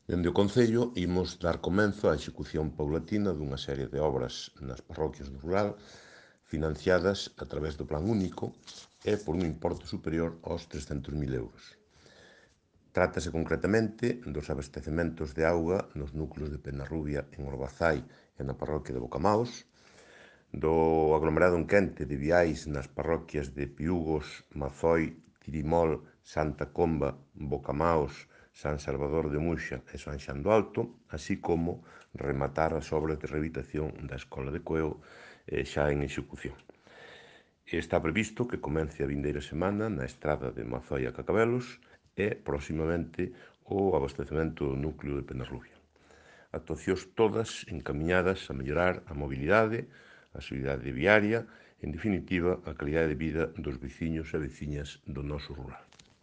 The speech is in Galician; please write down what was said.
Dende o Concello imos dar comenzo á execución paulatina dunha serie de obras nas parroquias do rural financiadas a través do Plan Único e por un importe superior aos 300.000 euros. Trátase concretamente dos abastecementos de auga nos núcleos de Penarrubia, en Orbazai e na parroquia de Bocamaos, do aglomerado enquente de viais nas parroquias de Piúgos, Mazoi, Tirimol, Santa Comba, Bocamaos, San Salvador de Muxa e San Xan do Alto, así como rematar as obras de rehabilitación da Escola de Coeo xa en execución. Está previsto que comece a vindeira semana na estrada de Mazoi a Cacabelos e, próximamente, o abastecemento do núcleo de Penarrubia. Actuacións todas encamiñadas a mellorar a mobilidade, a seguridade viaria, en definitiva, a calidade de vida dos veciños e veciñas do noso rural.